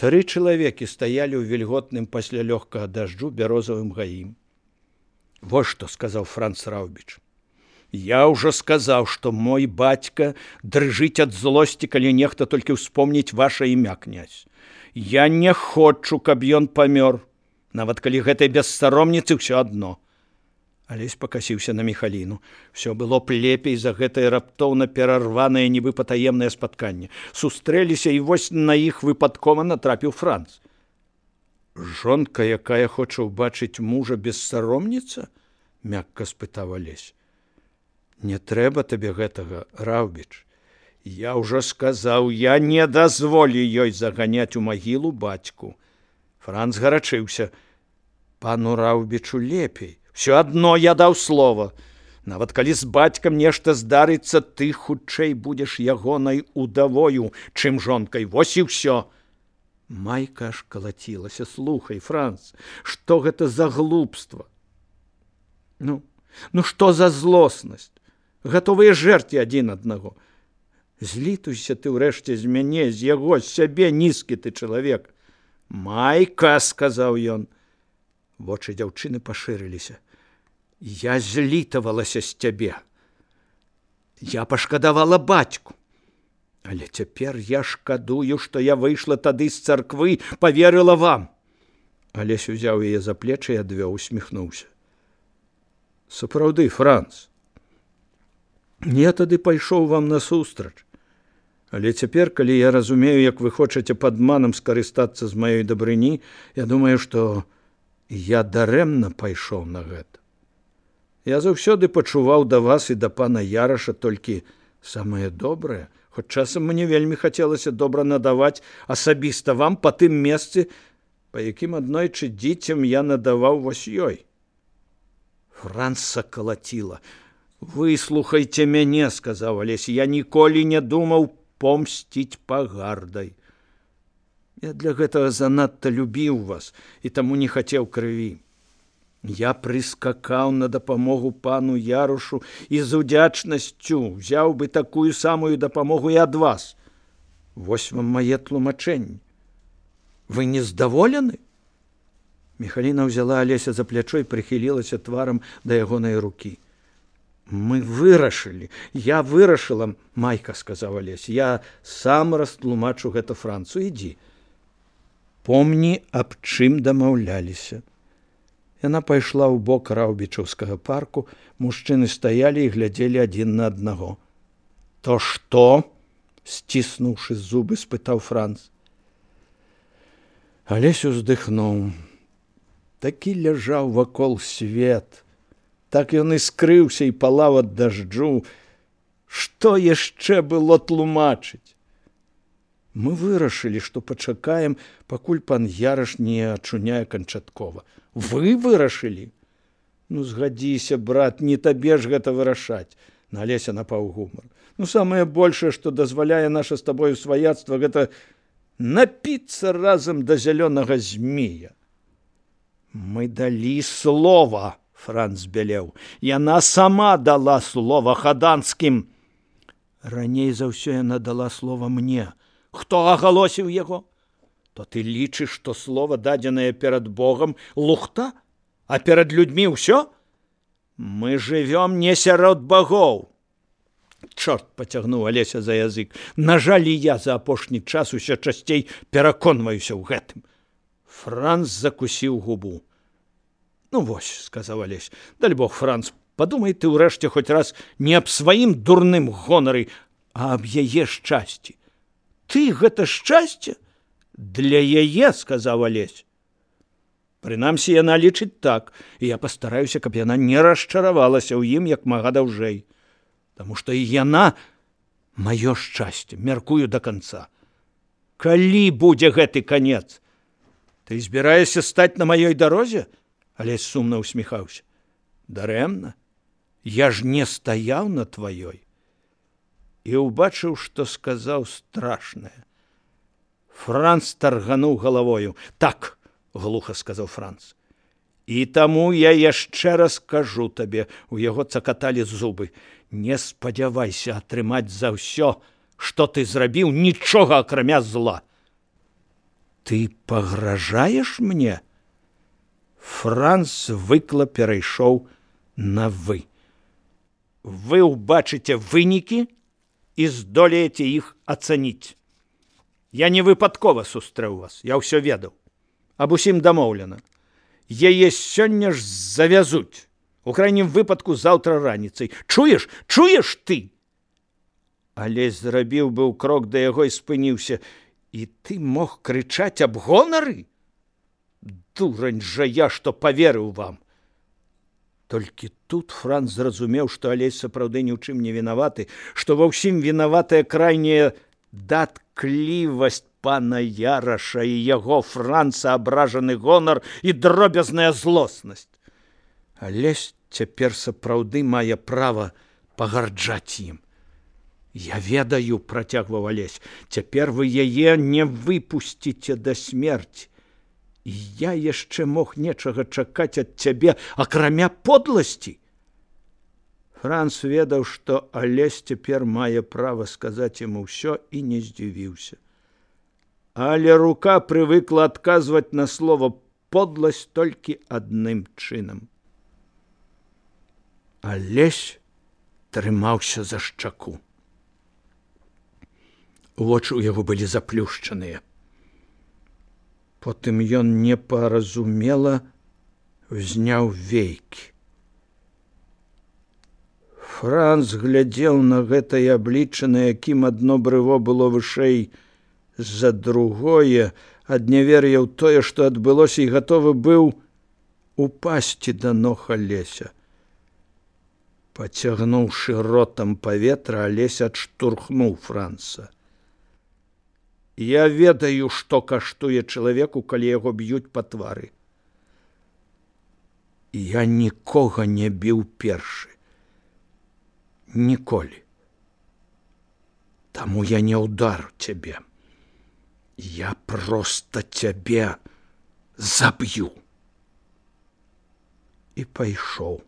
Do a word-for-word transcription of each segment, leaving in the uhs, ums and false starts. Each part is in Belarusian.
Тры чалавекі стаялі ў вільготным пасля лёгкага дажджу бярозавым гаім. «Вот что», — сказал Франц Раубіч. «Я ўжо сказаў, што мой бацька дрыжыць ад злосці, калі нехта толькі ўспомніць ваша імя, князь. Я не хочу, каб ён памёр, нават калі гэтай бессаромніцы ўсё адно». Алесь пакасіўся на Міхаліну. Всё было б лепей за гэтае раптоўна перарванае нібы патаемнае спатканне. Сустрэліся, і вось на іх выпадкова натрапіў Франц. «Жонка, якая хоча ўбачыць мужа бессаромніца?» — мякка спытаў Алесь. «Не трэба табе гэтага, Раубіч. Я ўжо сказаў, я не дазволю ёй заганяць у магілу бацьку». Франц гарачыўся. «Пану Раубічу лепей. Всё адно я даў слова. Нават калі з бацькам нешта здарыцца, ты хутчэй будзеш ягонай удавою, чым жонкай. Вось і ўсё». Майка аж калацілася. «Слухай, Франц, што гэта за глупства? Ну, ну што за злоснасць? Гатовыя жэрці адзін аднаго. Злітуйся ты ўрэшце з мяне, з яго, з сябе, нізкі ты чалавек». «Майка», — сказаў ён. Вочы дзяўчыны пашырыліся. «Я злітавалася з цябе. Я пашкадавала бацьку. Але цяпер я шкадую, што я выйшла тады з царквы, паверыла вам». Алесь узяў яе за плечы і адвёў, усміхнуўся. «Сапраўды, Франц, я тады пайшоў вам насустрач. Але цяпер, калі я разумею, як вы хочаце падманам скарыстацца з маёй дабрыні, я думаю, што я дарэмна пайшоў на гэта. Я заўсёды пачуваў да вас і да пана Яраша толькі самае добрае, хоць часам мне вельмі хацелася добра надаваць асабіста вам па тым месцы, па якім аднойчы дзіцям я надаваў вось ёй». Франца калаціла. «Выслухайце мяне», — сказаў Алесь, — «я ніколі не думаў помсціць пагардай. Я для гэтага занадта любіў вас і таму не хацеў крыві. Я прыскакаў на дапамогу пану Ярушу і з удзячнасцю взяў бы такую самую дапамогу і ад вас. Вось вам мае тлумачэнні. Вы не здаволены?» Міхаліна ўзяла Алеся за плячо і прыхілілася тварам да ягонай рукі. «Мы вырашылі, я вырашыла, Майка», — сказаў Алесь. «Я сам растлумачу гэта Францу. Ідзі. Помні, аб чым дамаўляліся». Яна пайшла ў бок раўбічаўскага парку. Мужчыны стаялі і глядзелі адзін на аднаго. «То што?» — сціснуўшы зубы, спытаў Франц. Алесь уздыхнуў. Такі ляжаў вакол свет. Так ён і скрыўся і палаў ад дажджу. Што яшчэ было тлумачыць? Мы вырашылі, што пачакаем, пакуль пан Яраш не ачуняе канчаткова. Вы вырашылі? Ну, згадзіся, брат, не табе ж гэта вырашаць. На Алеся напаў гумар. Ну, самае большае, што дазваляе наша з табою сваяцтва, гэта напіцца разам да зялёнага змея. Мы далі слова, Франц бялеў. Яна сама дала слова хаданскім. Раней за ўсё яна дала слова мне. Хто агалосіў яго? То ты лічыш, што слова, дадзенае перад Богам, лухта, а перад людзьмі ўсё? Мы жывём не сярод багоў. Чорт, пацягнуў Алеся за язык. На жаль, я за апошні час усё часцей пераконваюся ў гэтым. Франц закусіў губу. Ну вось, сказаў Алесь, даль Бог, Франц, падумай ты ўрэшце хоць раз не аб сваім дурным гонары, а аб яе шчасці. Ты гэта шчасце? Для яе, сказаў Алесь. Прынамсі, яна лічыць так, і я пастараюся, каб яна не расчаравалася ў ім як мага даўжэй. Таму што і яна маё шчасце, мяркую да канца. Калі будзе гэты канец? Ты збіраешся стаць на маёй дарозе? Алесь сумна усміхаўся. Дарэмна. Я ж не стаяў на тваёй. І убачыў, што сказаў страшнае. Франц таргануў галавою. Так, глуха сказаў Франц. І таму я яшчэ раз кажу табе, у яго цакаталі зубы. Не спадзявайся атрымаць за ўсё, што ты зрабіў, нічога акрамя зла. Ты пагражаеш мне? Франц выкла перайшоў на вы. Вы ўбачыце вынікі і здолееце іх ацаніць. Я не выпадкова сустрэў вас, я ўсё ведаў. Аб усім дамоўлена. Яе сёння ж завязуць. У крайнім выпадку заўтра раніцай. Чуеш? Чуеш ты? Алесь зрабіў быў крок да яго і спыніўся. І ты мог крычаць аб гонары? Дурань жа я, што паверыў вам. Толькі тут Франц зразумеў, што Алесь сапраўды ні ў чым не вінаваты, што ва ўсім вінаватая крайняя датклівасць пана Яраша і яго Франца абражаны гонар і дробязная злоснасць. Алесь цяпер сапраўды мае права пагарджаць ім. Я ведаю, працягваў Алесь, цяпер вы яе не выпусціце да смерці. І я яшчэ мог нечага чакаць ад цябе, акрамя подласці. Франц ведаў, што Алесь цяпер мае права сказаць яму ўсё і не здзівіўся. Але рука прывыкла адказваць на слова подласць толькі адным чынам. Алесь трымаўся за шчаку. Вочы ў яго былі заплюшчаныя. Потым ён непаразумела ўзняў вейкі. Франц глядзеў на гэтае аблічча, на якім адно брыво было вышэй за другое, ад нявер'я ў тое, што адбылося, і гатовы быў упасці да ног Алеся. Пацягнуўшы ротам паветра, Алесь адштурхнуў Франца. Я ведаю, што каштуе чалавеку, калі яго б'юць па твары. Я нікога не біў першы. Ніколі. Таму я не ўдару цябе. Я проста цябе заб'ю. І пайшоў.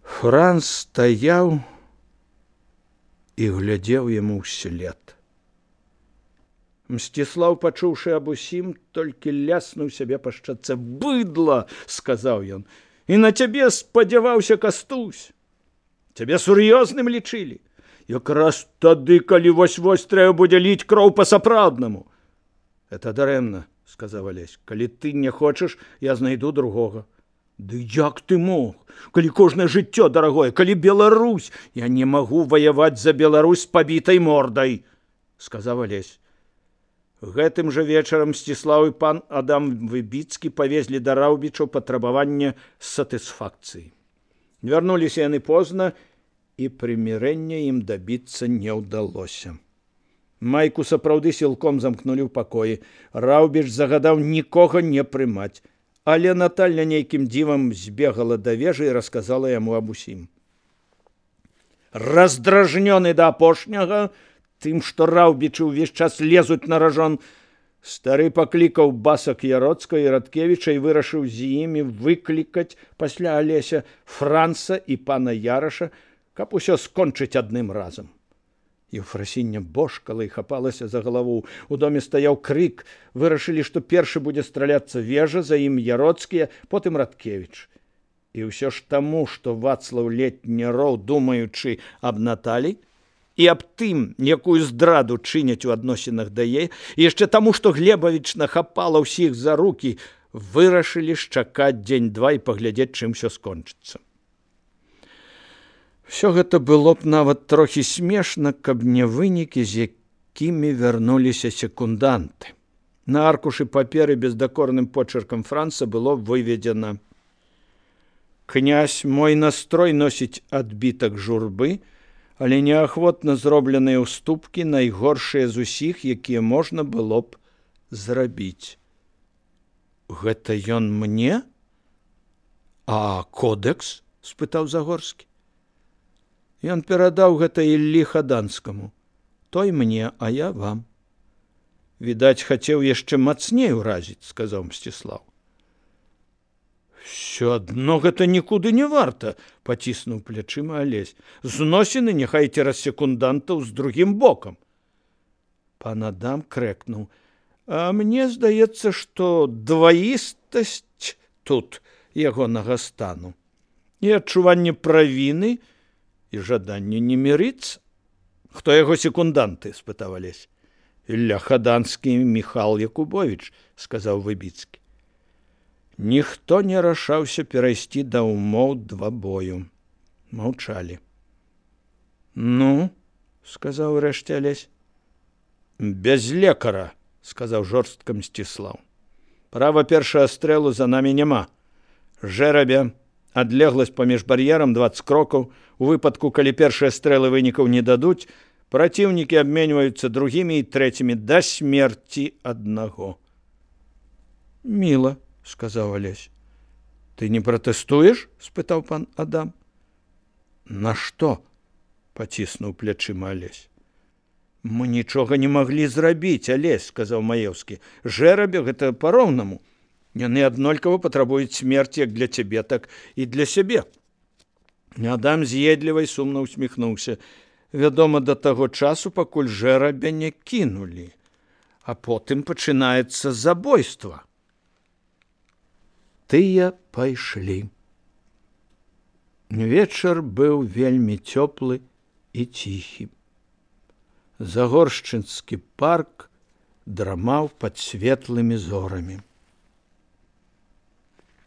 Франц стаяў і глядзеў яму ўслед. Мсціслаў, пачуўшы аб усім, толькі ляснуў сябе па шчацэ. «Быдла!» – сказаў ён. «І на цябе спадзяваўся Кастусь. Цябе сур'ёзным лічылі. Якраз тады, калі вось-вось трэба будзе ліць кроў па-сапраўднаму». «Это дарэмна», – сказаў Алесь. «Калі ты не хочаш, я знайду другога». «Ды як ты мог? Калі кожнае жыццё дарагое, калі Беларусь, я не магу ваяваць за Беларусь з пабітай мордай», – сказаў Алесь. Гэтым жа вечарам Мсціслаў і пан Адам Выбіцкі павезлі да Раўбічаў патрабаванне сатысфакцыі. Вярнуліся яны позна, і прымірэння ім дабіцца не ўдалося. Майку сапраўды сілком замкнулі ў пакоі. Раўбіч загадаў нікога не прымаць. Але Наталья нейкім дзівам збегала да вежы і расказала яму аб усім. Раздражнёны да апошняга, тым, што Раўбічы ўвесь час лезуць на ражон, стары паклікаў Басак Яроцка і Радкевіча і вырашыў з імі выклікаць пасля Алеся Франца і пана Яраша, каб усё скончыць адным разам. Еўфрасіння божкала і хапалася за галаву. У доме стаяў крык. Вырашылі, што першы будзе страляцца вежа, за ім Яроцкія, потым Радкевіч. І ўсё ж таму, што Вацлаў Летняроў, думаючы аб Наталі і аб тым, якую здраду чыняць у адносінах да яе, і яшчэ таму, што Глебавіч нахапала ўсіх за рукі, вырашылі чакаць дзень-два і паглядзець, чым усё скончыцца. Всё гэта было б нават трохі смешна, каб не вынікі, з якімі вярнуліся секунданты. На аркушы паперы бездакорным почеркам Франца было выведзена: «Князь, мой настрой носіць адбітак журбы, але неахвотна зробленыя ўступкі найгоршыя з усіх, якія можна было б зрабіць». Гэта ён мне? А кодекс? – спытаў Загорскі. Ён перадаў гэта Іллі Хаданскаму. Той мне, а я вам. Відаць, хацеў яшчэ мацней уразіць, сказаў Мсціслаў. Всё адно гэта нікуды не варта, паціснуў плячыма Алесь. Зносіны няхай цераз секундантаў з другім бокам. Пан Адам крэкнуў: «А мне здаецца, што дваістасць тут ягонага стану і адчуванне правіны і жаданне не мірыцца». «Хто яго секунданты?» – спытаў Алесь. «Ілля Хаданскі і Міхал Якубовіч», – сказаў Выбіцкі. Ніхто не рашаўся перайсці да ўмоў двабою. Маўчалі. «Ну?» – сказаў урэшце Алесь. «Без лекара», – сказаў жорстка Мсціслаў. «Права першага стрэлу за намі няма. Жэрабе, адлегласць паміж бар'ерам дваццаць крокаў. У выпадку, калі першыя стрэлы вынікаў не дадуць, праціўнікі абменьваюцца другімі і трэцімі да смерці аднаго». «Міла», – сказаў Алесь. «Ты не пратэстуеш?» – спытаў пан Адам. «На што?» – паціснуў плячыма Алесь. «Мы нічога не маглі зрабіць, Алесь», – сказаў Маеўскі. «Жэрабе гэта па-роўнаму. Яны аднолькава патрабуюць смерці як для цябе, так і для сябе». Адам з'едліва і сумна усміхнуўся. «Вядома, да таго часу, пакуль жэрабя не кінулі, а потым пачынаецца забойства». Тыя пайшлі. Вечар быў вельмі цёплы і ціхі. Загоршчынскі парк драмаў пад светлымі зорамі.